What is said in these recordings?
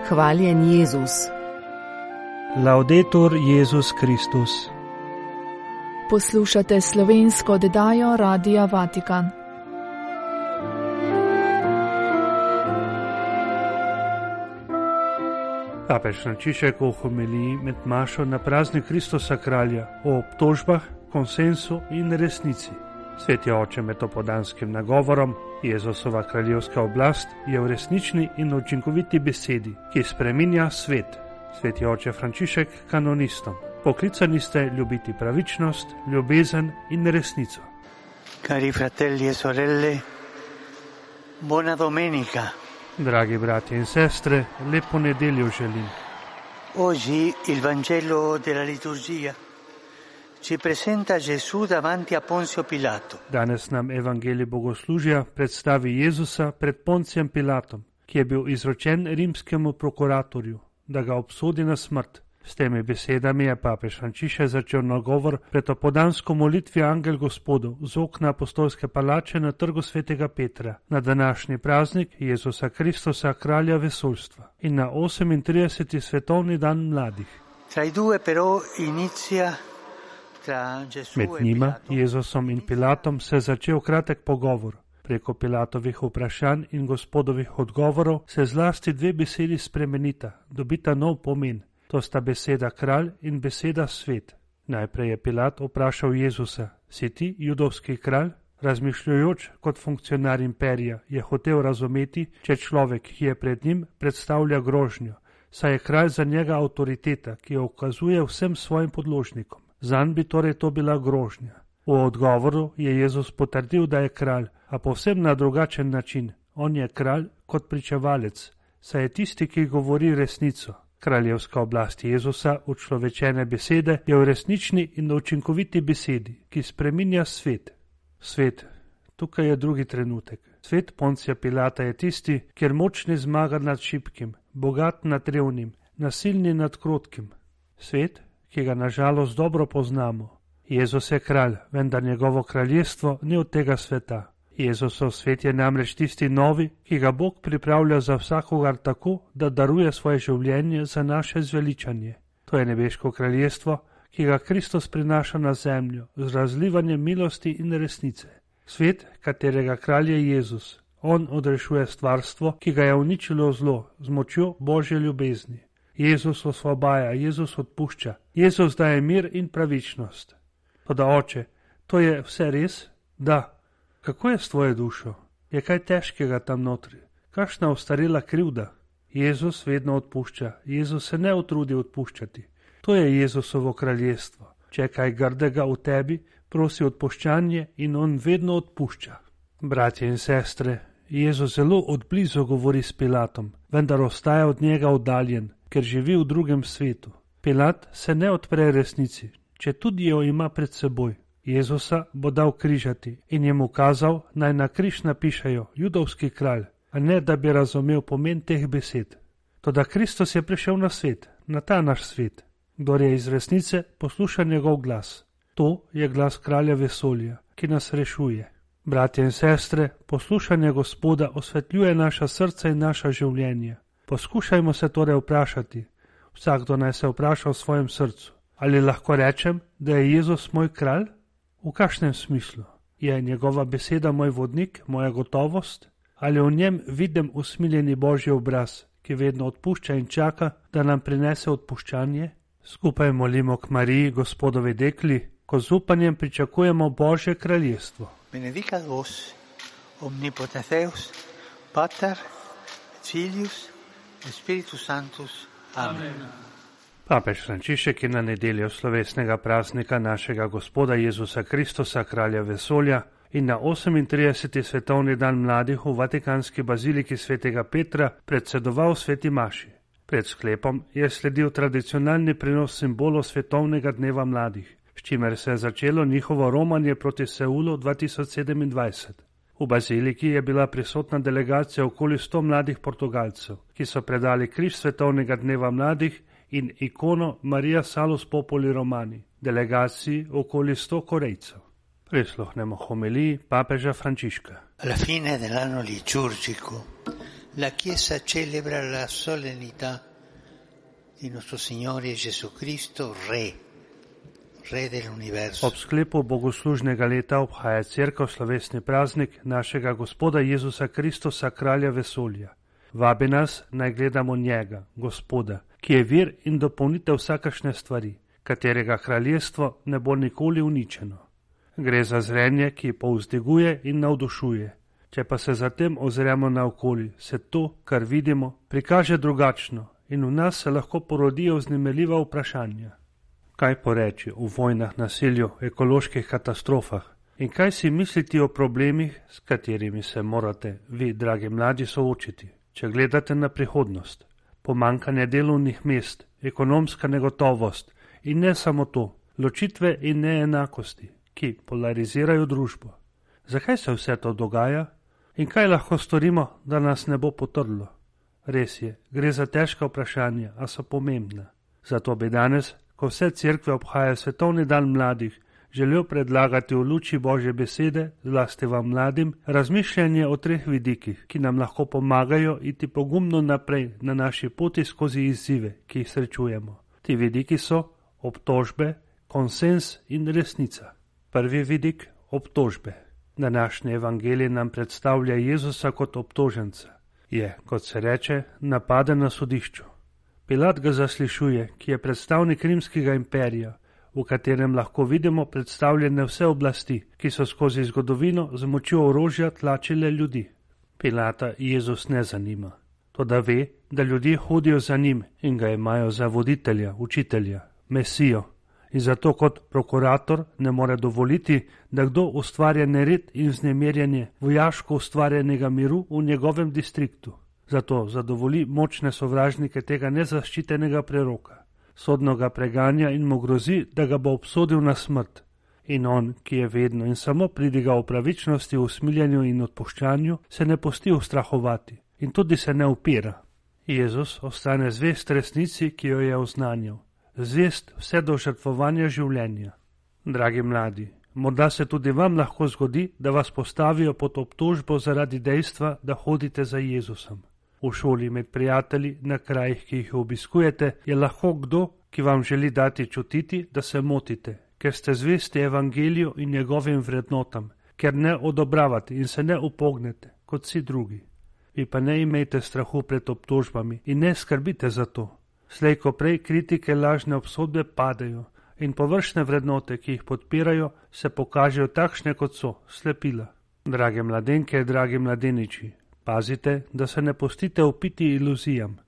Hvaljen Jezus. Laudetur Jezus Kristus. Poslušate slovensko oddajo Radia Vatikan. Papež Frančišek v homiliji med mašo na praznik Kristusa kralja o obtožbah, konsensu in resnici. Sveti oče med opodanskim nagovorom: Jezusova kraljevska oblast je v resnični in učinkoviti besedi, ki spreminja svet. Sveti oče Frančišek kanonistom: poklicani ste ljubiti pravičnost, ljubezen in resnico. Cari fratelli e sorelle, buona domenica. Dragi brati in sestre, lepo nedeljo želim. Oggi il Vangelo della liturgia ci presenta Gesù davanti a Ponzio Pilato. Danes nam evangelij bogoslužja predstavi Jezusa pred Poncijem Pilatom, ki je bil izročen rimskemu prokuratorju, da ga obsodi na smrt. S temi besedami je papež Frančišek začel nagovor pred opoldansko molitvijo Angel Gospodov z okna apostolske palače na trgu svetega Petra na današnji praznik Jezusa Kristusa, kralja vesoljstva, in na 38. svetovni dan mladih. Med njima, Jezusom in Pilatom, se je začel kratek pogovor. Preko Pilatovih vprašanj in Gospodovih odgovorov se zlasti dve besedi spremenita, dobita nov pomen. To sta beseda kralj in beseda svet. Najprej je Pilat vprašal Jezusa: si ti judovski kralj? Razmišljajoč kot funkcionar imperija je hotel razumeti, če človek, ki je pred njim, predstavlja grožnjo, saj je kralj za njega avtoriteta, ki jo ukazuje vsem svojim podložnikom. Zanj bi torej to bila grožnja. V odgovoru je Jezus potrdil, da je kralj, a povsem na drugačen način. On je kralj kot pričevalec, saj je tisti, ki govori resnico. Kraljevska oblast Jezusa, učlovečene besede, je v resnični in učinkoviti besedi, ki spreminja svet. Svet, tukaj je drugi trenutek. Svet Poncija Pilata je tisti, kjer močni zmaga nad šibkim, bogat nad revnim, nasilni nad krotkim. Svet, ki ga nažalost dobro poznamo. Jezus je kralj, vendar njegovo kraljestvo ni od tega sveta. Jezusov svet je namreč tisti novi, ki ga Bog pripravlja za vsakogar tako, da daruje svoje življenje za naše zveličanje. To je nebeško kraljestvo, ki ga Kristus prinaša na zemljo z razlivanjem milosti in resnice. Svet, katerega kralj je Jezus. On odrešuje stvarstvo, ki ga je uničilo zlo z močjo Božje ljubezni. Jezus osvobaja, Jezus odpušča, Jezus daje mir in pravičnost. Toda oče, to je vse res? Da. Kako je s tvojo dušo? Je kaj težkega tam notri? Kakšna ostarela krivda? Jezus vedno odpušča, Jezus se ne utrudi odpuščati. To je Jezusovo kraljestvo. Če je kaj grdega v tebi, prosi odpuščanje in on vedno odpušča. Bratje in sestre, Jezus zelo odblizu govori s Pilatom, vendar ostaja od njega oddaljen, ker živi v drugem svetu. Pilat se ne odpre resnici, če tudi jo ima pred seboj. Jezusa bo dal križati in jim ukazal, naj na križ napišejo judovski kralj, a ne da bi razumel pomen teh besed. Toda Kristus je prišel na svet, na ta naš svet. Kdor je iz resnice, posluša njegov glas. To je glas kralja vesolja, ki nas rešuje. Bratje in sestre, poslušanje Gospoda osvetljuje naša srca in naša življenja. Poskušajmo se torej vprašati, vsakdo naj se vpraša v svojem srcu, ali lahko rečem, da je Jezus moj kralj? V kakšnem smislu? Je njegova beseda moj vodnik, moja gotovost? Ali v njem vidim usmiljeni Božji obraz, ki vedno odpušča in čaka, da nam prinese odpuščanje? Skupaj molimo k Mariji, Gospodovi dekli, ko z upanjem pričakujemo Božje kraljestvo. Benedicat vos, omnipotens Deus, Pater, Filius, Spiritus Sanctus. Amen. Papež Frančišek je na nedeljo slovesnega praznika našega Gospoda Jezusa Kristusa, kralja vesolja, in na 38. svetovni dan mladih v vatikanski baziliki svetega Petra predsedoval sveti maši. Pred sklepom je sledil tradicionalni prenos simbolov svetovnega dneva mladih, s čimer se je začelo njihovo romanje proti Seulu 2027. V baziliki je bila prisotna delegacija okoli 100 mladih Portugalcev, ki so predali križ svetovnega dneva mladih in ikono Maria Salus Populi Romani, delegaciji okoli 100 Korejcev. Prisluhnemo homiliji papeža Frančiška. Alla fine dell'anno liturgico La Chiesa celebra la solennità di nostro Signore Gesù Cristo, Re dell'universo. Ob sklepu bogoslužnega leta obhaja Cerkev slovesni praznik našega Gospoda Jezusa Kristusa, kralja vesolja. Vabi nas, naj gledamo njega, Gospoda, ki je vir in dopolnitev vsakašne stvari, katerega kraljestvo ne bo nikoli uničeno. Gre za zrenje, ki povzdiguje in navdušuje. Če pa se zatem ozremo naokoli, se to, kar vidimo, prikaže drugačno in v nas se lahko porodijo vznemirljiva vprašanja. Kaj poreči o vojnah, nasilju, ekoloških katastrofah in kaj si misliti o problemih, s katerimi se morate vi, dragi mladi, soočiti, če gledate na prihodnost? Pomanjkanje delovnih mest, ekonomska negotovost in ne samo to, ločitve in neenakosti, ki polarizirajo družbo. Zakaj se vse to dogaja in kaj lahko storimo, da nas ne bo potrlo? Res je, gre za težka vprašanja, a so pomembna. Zato bi danes, ko vse cerkve obhajajo svetovni dan mladih, želel predlagati v luči Božje besede, zlasti vam mladim, razmišljanje o 3 vidikih, ki nam lahko pomagajo iti pogumno naprej na naši poti skozi izzive, ki jih srečujemo. Ti vidiki so obtožbe, konsens in resnica. Prvi vidik, obtožbe. Današnji evangelij nam predstavlja Jezusa kot obtoženca. Je, kot se reče, napaden na sodišču. Pilat ga zaslišuje, ki je predstavnik rimskega imperija, v katerem lahko vidimo predstavljene vse oblasti, ki so skozi zgodovino z močjo orožja tlačile ljudi. Pilata Jezus ne zanima. Toda ve, da ljudje hodijo za njim in ga imajo za voditelja, učitelja, mesijo. In zato kot prokurator ne more dovoliti, da kdo ustvarja nered in vznemirjanje vojaško ustvarjenega miru v njegovem distriktu. Zato zadovoli močne sovražnike tega nezaščitenega preroka. Sodno ga preganja in mu grozi, da ga bo obsodil na smrt. In on, ki je vedno in samo pridigal v pravičnosti, v usmiljanju in odpuščanju, se ne pusti ustrahovati in tudi se ne upira. Jezus ostane zvest resnici, ki jo je oznanjal. Zvest vse do žrtvovanja življenja. Dragi mladi, morda se tudi vam lahko zgodi, da vas postavijo pod obtožbo zaradi dejstva, da hodite za Jezusom. V šoli, med prijatelji, na krajih, ki jih obiskujete, je lahko kdo, ki vam želi dati čutiti, da se motite, ker ste zvesti evangeliju in njegovim vrednotam, ker ne odobravate in se ne upognete, kot vsi drugi. Vi pa ne imejte strahu pred obtožbami in ne skrbite za to. Slej ko prej kritike, lažne obsodbe padejo in površne vrednote, ki jih podpirajo, se pokažejo takšne, kot so, slepila. Drage mladenke, dragi mladeniči, pazite, da se ne pustite upiti iluzijam.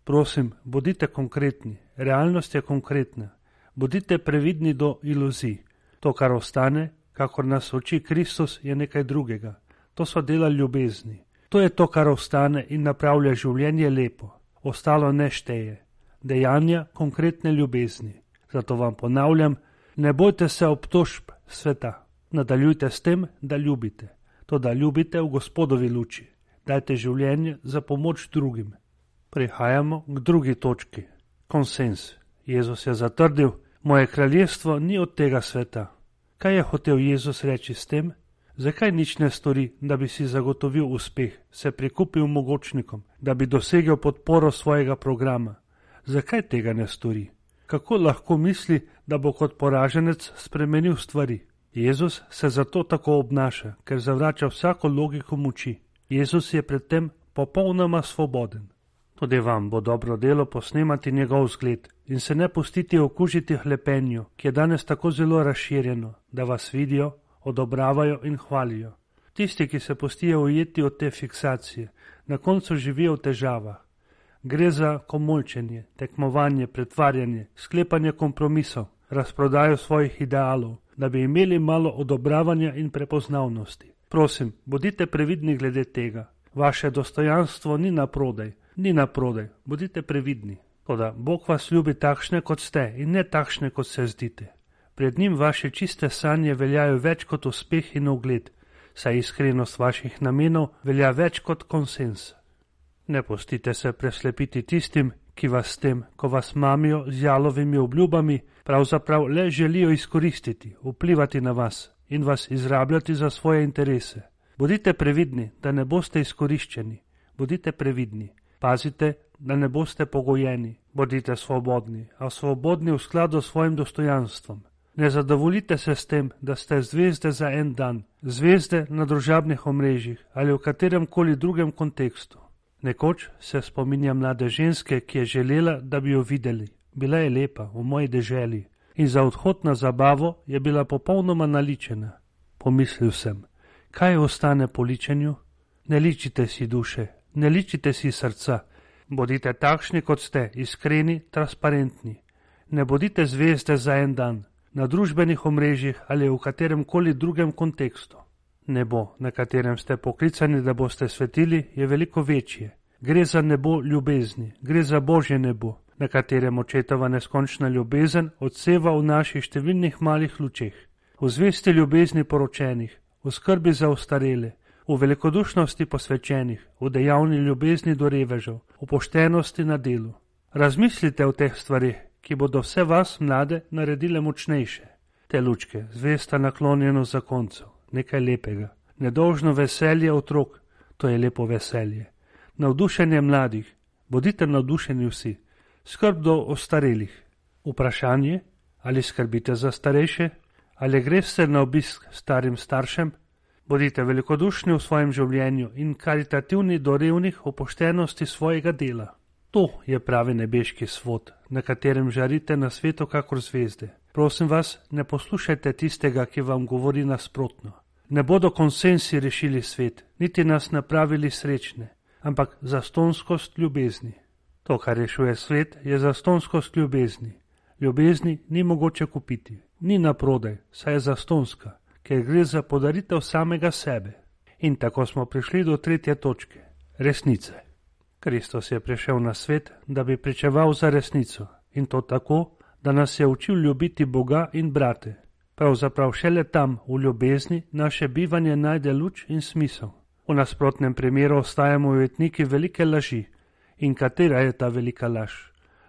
Prosim, bodite konkretni, realnost je konkretna. Bodite previdni do iluzij. To, kar ostane, kakor nas uči Kristus, je nekaj drugega. To so dela ljubezni. To je to, kar ostane in napravlja življenje lepo. Ostalo ne šteje. Dejanja konkretne ljubezni. Zato vam ponavljam, ne bojte se obtožb sveta. Nadaljujte s tem, da ljubite. To, da ljubite v Gospodovi luči. Dajte življenje za pomoč drugim. Prihajamo k drugi točki. Konsens. Jezus je zatrdil, moje kraljestvo ni od tega sveta. Kaj je hotel Jezus reči s tem? Zakaj nič ne stori, da bi si zagotovil uspeh, se prikupil mogočnikom, da bi dosegel podporo svojega programa? Zakaj tega ne stori? Kako lahko misli, da bo kot poraženec spremenil stvari? Jezus se zato tako obnaša, ker zavrača vsako logiko moči. Jezus je pred tem popolnoma svoboden. Tudi vam bo dobro delo posnemati njegov zgled in se ne pustiti okužiti hlepenju, ki je danes tako zelo razširjeno, da vas vidijo, odobravajo in hvalijo. Tisti, ki se pustijo ujeti od te fiksacije, na koncu živijo v težavah. Gre za komolčenje, tekmovanje, pretvarjanje, sklepanje kompromisov, razprodajo svojih idealov, da bi imeli malo odobravanja in prepoznavnosti. Prosim, bodite previdni glede tega. Vaše dostojanstvo ni na prodaj, bodite previdni. Toda Bog vas ljubi takšne, kot ste in ne takšne, kot se zdite. Pred njim vaše čiste sanje veljajo več kot uspeh in ugled, saj iskrenost vaših namenov velja več kot konsens. Ne pustite se preslepiti tistim, ki vas s tem, ko vas mamijo z jalovimi obljubami, pravzaprav le želijo izkoristiti, vplivati na vas in vas izrabljati za svoje interese. Bodite previdni, da ne boste izkoriščeni. bodite previdni. Pazite, da ne boste pogojeni. Bodite svobodni, a svobodni v skladu s svojim dostojanstvom. Ne zadovoljite se s tem, da ste zvezde za en dan, zvezde na družabnih omrežjih ali v katerem koli drugem kontekstu. Nekoč se spominja mlade ženske, ki je želela, da bi jo videli. Bila je lepa, v moji deželi, in za odhod na zabavo je bila popolnoma naličena. Pomislil sem, kaj ostane po ličenju? Ne ličite si duše, ne ličite si srca. Bodite takšni, kot ste, iskreni, transparentni. Ne bodite zvezde za en dan, na družbenih omrežjih ali v katerem koli drugem kontekstu. Nebo, na katerem ste poklicani, da boste svetili, je veliko večje. Gre za nebo ljubezni, gre za Božje nebo, na katerem očetova neskončna ljubezen odseva v naših številnih malih lučeh, v zvesti ljubezni poročenih, v skrbi za ostarele, v velikodušnosti posvečenih, v dejavni ljubezni do revežev, v poštenosti na delu. Razmislite o teh stvarih, ki bodo vse vas, mlade, naredile močnejše. Te lučke, zvesta naklonjenost zakoncev, nekaj lepega, nedolžno veselje otrok, to je lepo veselje. Navdušenje mladih, bodite navdušeni vsi, skrb do ostarelih. Vprašanje, ali skrbite za starejše, ali greste na obisk starim staršem, bodite velikodušni v svojem življenju in karitativni do revnih v poštenosti svojega dela. To je pravi nebeški svod, na katerem žarite na svetu kakor zvezde. Prosim vas, ne poslušajte tistega, ki vam govori nasprotno. Ne bodo konsensi rešili svet, niti nas napravili srečne, ampak zastonskost ljubezni. To, kar rešuje svet, je zastonskost ljubezni. Ljubezni ni mogoče kupiti, ni naprodaj, saj je zastonska, ker gre za podaritev samega sebe. In tako smo prišli do tretje točke, resnice. Kristus je prišel na svet, da bi pričeval za resnico, in to tako, da nas je učil ljubiti Boga in brate. Pravzaprav šele tam, v ljubezni, naše bivanje najde luč in smisel. V nasprotnem primeru ostajamo ujetniki velike laži. In katera je ta velika laž?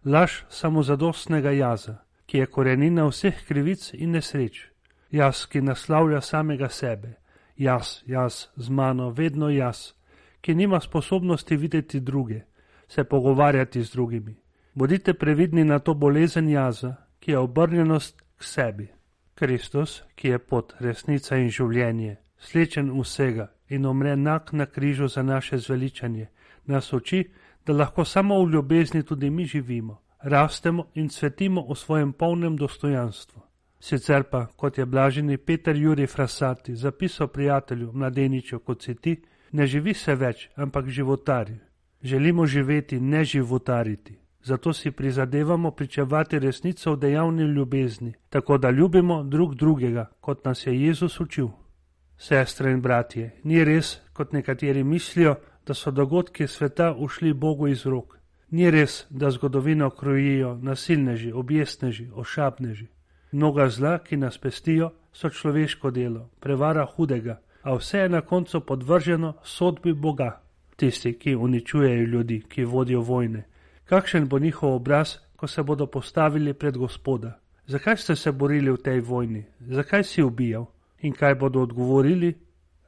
Laž samozadostnega jaza, ki je korenina vseh krivic in nesreč. Jaz, ki naslavlja samega sebe. Jaz, z mano, vedno jaz, ki nima sposobnosti videti druge, se pogovarjati z drugimi. Bodite previdni na to bolezen jaza, ki je obrnjenost k sebi. Kristus, ki je pot, resnica in življenje, slečen vsega in umre nag na križu za naše zveličanje, nas uči, da lahko samo v ljubezni tudi mi živimo, rastemo in cvetimo v svojem polnem dostojanstvu. Sicer pa, kot je blaženi Peter Jurij Frassati zapisal prijatelju mladeniču, kot si ti, ne živi se več, ampak životari. Želimo živeti, ne životariti. Zato si prizadevamo pričevati resnico v dejavni ljubezni, tako da ljubimo drug drugega, kot nas je Jezus učil. Sestre in bratje, ni res, kot nekateri mislijo, da so dogodki sveta ušli Bogu iz rok. Ni res, da zgodovino krojijo nasilneži, objestneži, ošabneži. Mnoga zla, ki nas pestijo, so človeško delo, prevara hudega, a vse je na koncu podvrženo sodbi Boga. Tisti, ki uničujejo ljudi, ki vodijo vojne. Kakšen bo njihov obraz, ko se bodo postavili pred Gospoda? Zakaj ste se borili v tej vojni? Zakaj si ubijal? In kaj bodo odgovorili?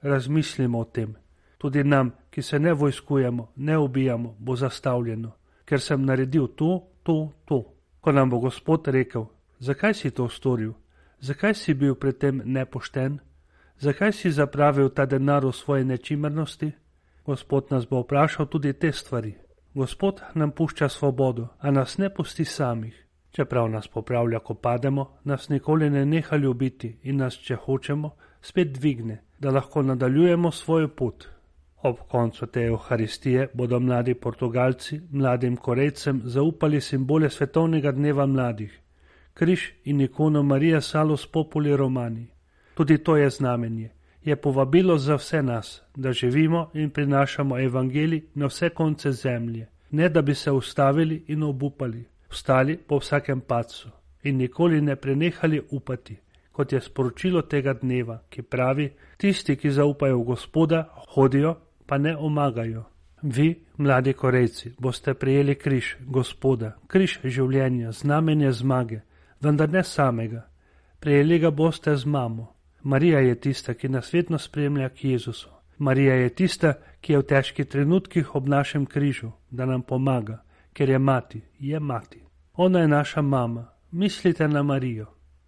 Razmislimo o tem. Tudi nam, ki se ne vojskujemo, ne ubijamo, bo zastavljeno, ker sem naredil to. Ko nam bo Gospod rekel, zakaj si to storil? Zakaj si bil pred tem nepošten? Zakaj si zapravil ta denar v svoje nečimrnosti? Gospod nas bo vprašal tudi te stvari. Gospod nam pušča svobodo, a nas ne pusti samih. Čeprav nas popravlja, ko pademo, nas nikoli ne neha ljubiti in nas, če hočemo, spet dvigne, da lahko nadaljujemo svojo pot. Ob koncu te Evharistije bodo mladi Portugalci mladim Korejcem zaupali simbole svetovnega dneva mladih, križ in ikono Marija Salus Populi Romani. Tudi to je znamenje, je povabilo za vse nas, da živimo in prinašamo evangelij na vse konce zemlje, ne da bi se ustavili in obupali, vstali po vsakem padcu in nikoli ne prenehali upati, kot je sporočilo tega dneva, ki pravi, tisti, ki zaupajo v Gospoda, hodijo, pa ne omagajo. Vi, mladi Korejci, boste prijeli križ Gospoda, križ življenja, znamenje zmage, vendar ne samega. Prijeli ga boste z mamo. Marija je tista, ki nas vedno spremlja k Jezusu. Marija je tista, ki je v težkih trenutkih ob našem križu, da nam pomaga, ker je mati. Ona je naša mama. Mislite na Marijo.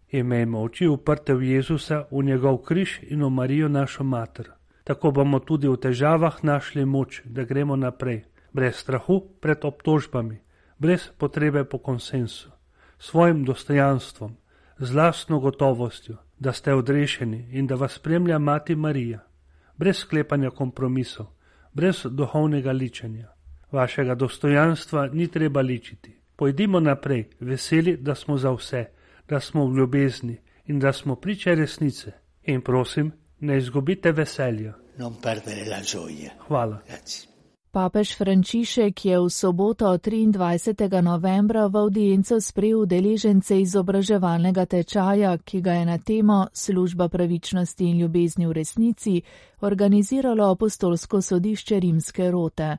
Imejmo oči uprte v Jezusa, v njegov križ in v Marijo našo mater. Tako bomo tudi v težavah našli moč, da gremo naprej, brez strahu pred obtožbami, brez potrebe po konsensu, svojim dostojanstvom, z lastno gotovostjo, da ste odrešeni in da vas spremlja mati Marija, brez sklepanja kompromisov, brez duhovnega ličenja. Vašega dostojanstva ni treba ličiti. Pojdimo naprej, veseli, da smo za vse, da smo v ljubezni in da smo priče resnice. In prosim, ne izgubite veselja. Hvala. Papež Frančišek je v soboto 23. novembra v avdienco sprejel udeležence izobraževalnega tečaja, ki ga je na temo Služba pravičnosti in ljubezni v resnici organiziralo apostolsko sodišče Rimske rote.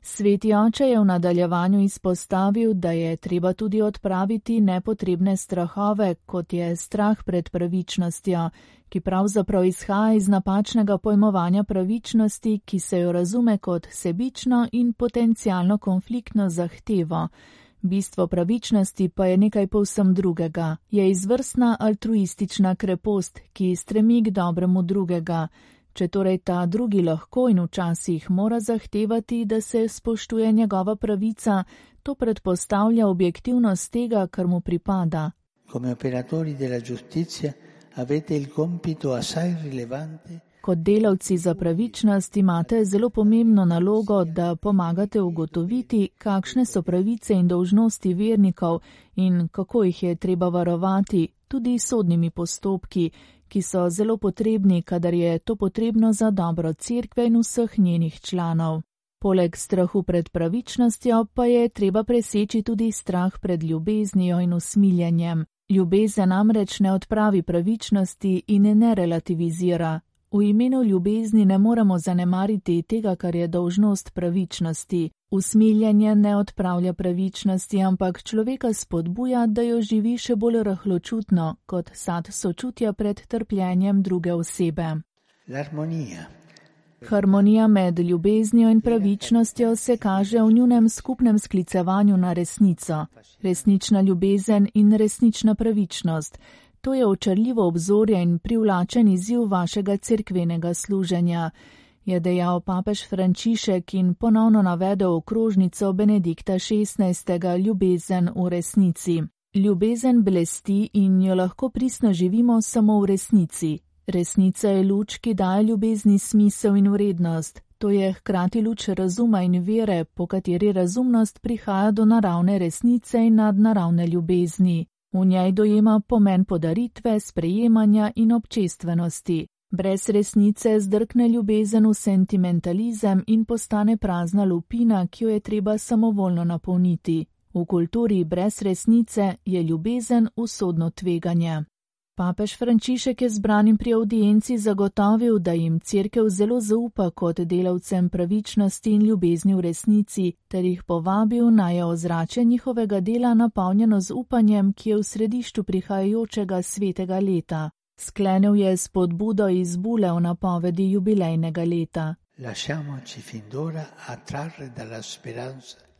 Sveti oče je v nadaljevanju izpostavil, da je treba tudi odpraviti nepotrebne strahove, kot je strah pred pravičnostjo, ki pravzaprav izhaja iz napačnega pojmovanja pravičnosti, ki se jo razume kot sebično in potencialno konfliktno zahtevo. Bistvo pravičnosti pa je nekaj povsem drugega. Je izvrstna altruistična krepost, ki stremi k dobremu drugega. Če torej ta drugi lahko in včasih mora zahtevati, da se spoštuje njegova pravica, to predpostavlja objektivnost tega, kar mu pripada. Kot delavci za pravičnost imate zelo pomembno nalogo, da pomagate ugotoviti, kakšne so pravice in dolžnosti vernikov in kako jih je treba varovati, tudi s sodnimi postopki, ki so zelo potrebni, kadar je to potrebno za dobro cerkve in vseh njenih članov. Poleg strahu pred pravičnostjo pa je treba preseči tudi strah pred ljubeznijo in usmiljenjem. Ljubezen namreč ne odpravi pravičnosti in ne relativizira. V imenu ljubezni ne moremo zanemariti tega, kar je dolžnost pravičnosti. Usmiljenje ne odpravlja pravičnosti, ampak človeka spodbuja, da jo živi še bolj rahločutno, kot sad sočutja pred trpljenjem druge osebe. Harmonija med ljubeznijo in pravičnostjo se kaže v njunem skupnem sklicevanju na resnico. Resnična ljubezen in resnična pravičnost. To je očarljivo obzorje in privlačen izziv vašega cerkvenega služenja, je dejal papež Frančišek in ponovno navedel okrožnico Benedikta XVI. Ljubezen v resnici. Ljubezen blesti in jo lahko pristno živimo samo v resnici. Resnica je luč, ki daje ljubezni smisel in vrednost. To je hkrati luč razuma in vere, po kateri razumnost prihaja do naravne resnice in nadnaravne ljubezni. V njej dojema pomen podaritve, sprejemanja in občestvenosti. Brez resnice zdrkne ljubezen v sentimentalizem in postane prazna lupina, ki jo je treba samovoljno napolniti. V kulturi brez resnice je ljubezen usodno tveganje. Papež Frančišek je zbranim pri avdienci zagotovil, da jim cerkev zelo zaupa kot delavcem pravičnosti in ljubezni v resnici, ter jih povabil, naj je ozračje njihovega dela napolnjeno z upanjem, ki je v središču prihajajočega svetega leta. Sklenil je spodbudo iz bule v napovedi jubilejnega leta.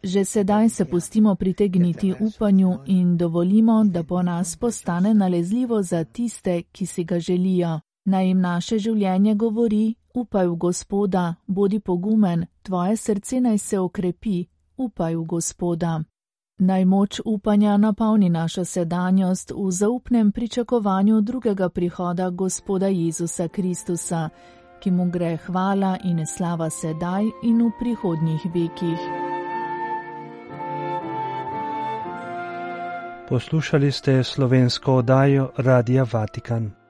Že sedaj se pustimo pritegniti upanju in dovolimo, da po nas postane nalezljivo za tiste, ki si ga želijo. Naj jim naše življenje govori, upaj v Gospoda, bodi pogumen, tvoje srce naj se okrepi, upaj v Gospoda. Naj moč upanja napolni našo sedanjost v zaupnem pričakovanju drugega prihoda Gospoda Jezusa Kristusa, ki mu gre hvala in slava sedaj in v prihodnjih vekih. Poslušali ste slovensko oddajo Radia Vatikan.